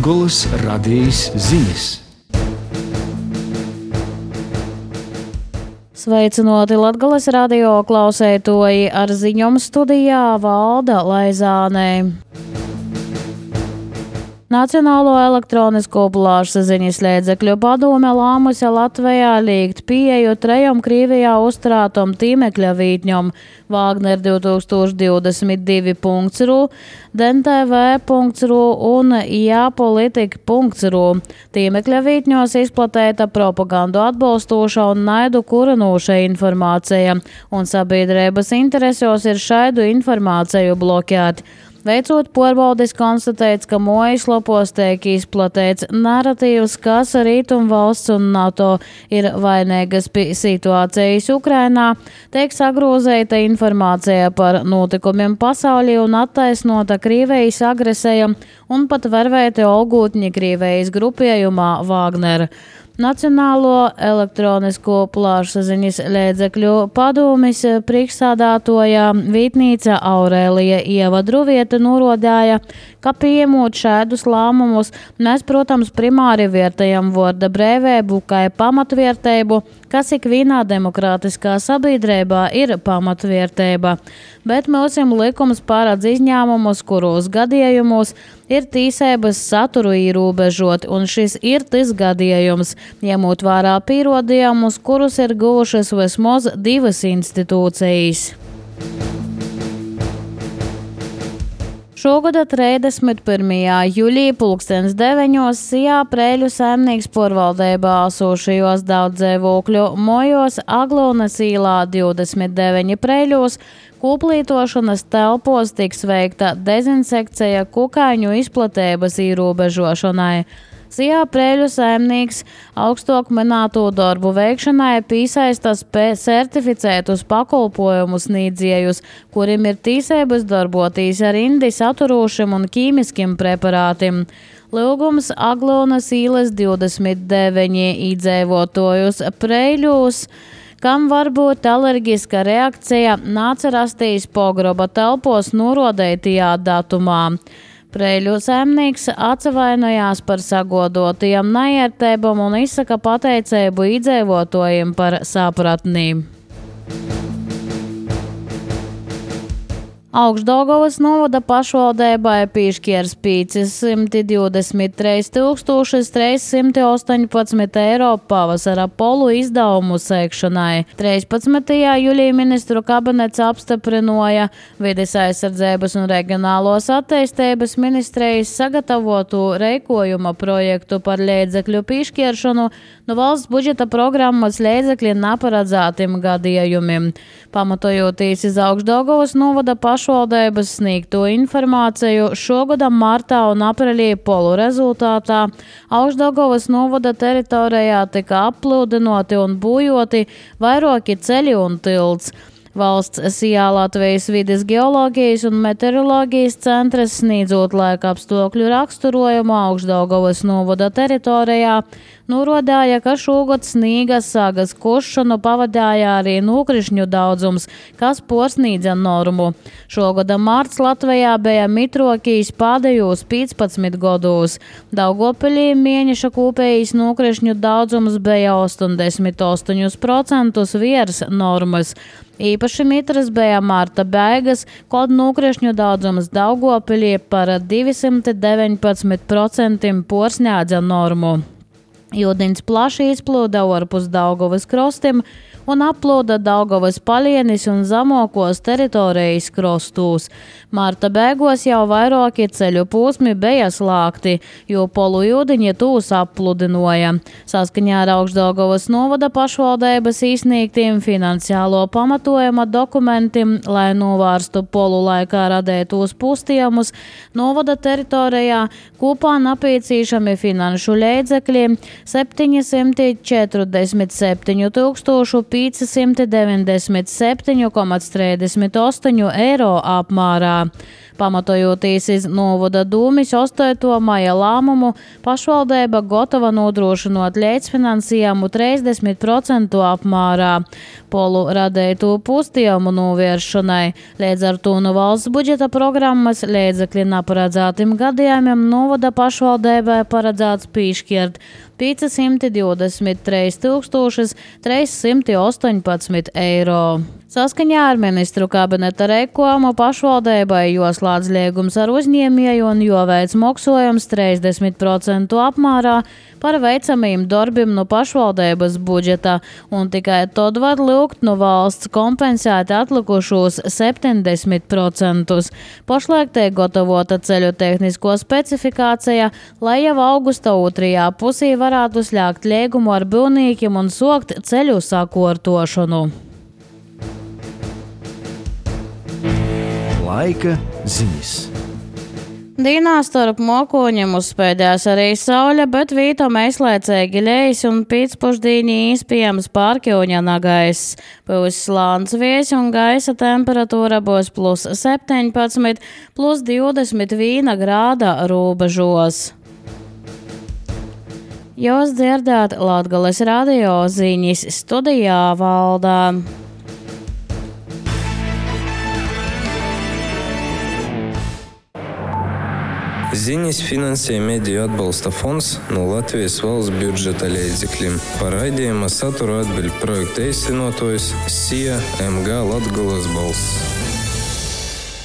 Latgolas radījis ziņas. Sveicinoti Latgolas radio klausētoji, ar ziņām studijā Valda Laizāne. Nacionālo elektronisko plašsaziņas līdzekļu padome lēmusi Latvijā liekt pieeju 3 Krievijā uzturētam tīmekļa vītņam Wagner 2022.ru, dentv.ru un jāpolitika.ru. Tīmekļa vītņos izplatīta propagandu atbalstoša un naidu kurinoša informācija, un sabiedrības interesos ir šādu informāciju bloķēt. Veicot pārbaudes, konstatēts, ka mājaslapos tiek izplatīts naratīvs, kas Rietumvalsts un NATO ir vainīgas pie situācijas Ukrainā, tiek sagrozēta informācija par notikumiem pasaulī un attaisnota Krievijas agresija un pat vervēti olgūtņi Krievijas grupējumā Wagner. Nacionālo elektronisko plašsaziņas līdzekļu padomes priekšsādātoja vietnīca Aurēlija Ieva Druvieta norādīja, ka pieņemot šādus lēmumus, mēs, protams, primāri vērtējam vārda brīvību kā pamatvērtību, kas ikvienā demokrātiskā sabiedrībā ir pamatvērtība. Bet mūsim likums paredz izņēmumus, kuros gadījumos ir tiesības saturu ierobežot, un šis ir tas gadījums, ņemot vērā pierādījumus, kurus ir guvušas vismaz 2 institūcijas. Šogad 31. jūlijā 9:00 Sijā Preļu saimnieks porvaldībā esošajos daudzdzīvokļu mojos Aglonas īlā 29 Preļos kūplītošanas telpos tiks veikta dezinsekcija kukaiņu izplatības ierobežošanai. Sijā Preļu saimnieks augstāk minēto darbu veikšanai piesaistas certificētus pakalpojumus sniedzējus, kuriem ir tiesības darboties ar indi saturošiem un ķīmiskiem preparātiem. Lūgums Aglonas īles 29 iedzīvotājus Preļos, kam var būt alerģiska reakcija, nāca rastīs pogroba telpos norodētajā datumā. Preļu saimnieks atvainojās par sagodotajām neērtībām un izsaka pateicību iedzīvotājiem par sapratni. Augšdaugavas novada pašvaldībai piešķirs 523,318 eiro pavasara polu izdevumu sekšanai. 13. jūlijā ministru kabinets apstiprināja Vides aizsardzības un reģionālos attīstības ministrijas sagatavotu rīkojuma projektu par līdzekļu piešķiršanu no valsts budžeta programmas līdzekļu neparedzētiem gadījumiem. Pamatojoties uz Augšdaugavas novada pašvaldības sniegto informāciju, šogada martā un aprīlī polu rezultātā Augšdaugavas novada teritorijā tika aplūdinoti un bojoti vairāki ceļi un tilts. Valsts Sijā Latvijas vides geoloģijas un meteoroloģijas centrs sniedzot laika apstākļu raksturojumu Augšdaugavas novada teritorijā, norādīja, ka šogad sniega sagas košanu pavadīja arī nokrišņu daudzums, kas pārsniedza normu. Šogada marts Latvijā bija mitrokīs pēdējos 15 gados. Daugavpilī mēneša kopējais nokrišņu daudzums bija 88% virs normas. Īpaši mitras bija marta beigas, kad nokrišņu daudzums Daugavpilī par 219% pārsniedza normu. Ūdens plaši izplūda ārpus Daugavas krastiem un aplūda Daugavas palienis un zemākos teritorijas krastos. Marta beigās jau vairāki ceļu posmi bija slēgti, jo polu ūdeņi tūs apludināja. Saskaņā ar Augšdaugavas novada pašvaldības izsniegtiem finansiālo pamatojuma dokumentiem, lai novērstu polu laikā radētos postiemus, novada teritorijā kopā nepieciešami finanšu līdzekļi 747 597,38 eiro apmērā. Pamatojoties iz novada dūmis 8. maija lēmumu, pašvaldība gatava nodrošinot līdzfinansējumu 30% apmērā polu radītu pustījumu novēršanai. Līdz ar to no valsts budžeta programmas līdzekļi neparedzētiem gadījumiem novada pašvaldībai paredzēts piešķirt 523 318 eiro. Saskaņā ar ministru kabineta rēkojumu pašvaldībai joslēdz liegums ar uzņēmēju un joveic maksājums 30% apmērā par veicamiem darbiem no pašvaldības budžeta, un tikai tad var lūgt no valsts kompensēt atlikušos 70%. Pašlaik tiek gatavota ceļu tehnisko specifikācija, lai jau augusta 2. pusī varētu slēgt līgumu ar būvniekiem un sokt ceļu sakārtošanu. Laika ziņas. Dienā starp mokoņiem uzspēdēs arī saule, bet vītam aizlaicīgi lejas un pīcpušdīņi iespējams pārkļūņana gaiss. Pūs slāns vies un gaisa temperatūra būs +17, +21 grāda robežos. Jūs dzirdēt Latgales radio ziņas, studijā Valdā. Ziņas finansē Mediju atbalsta fonds no Latvijas valsts budžeta līdzekļiem. Par raidījuma saturu atbild projekta īstenotājs SIA MG Latgales balss.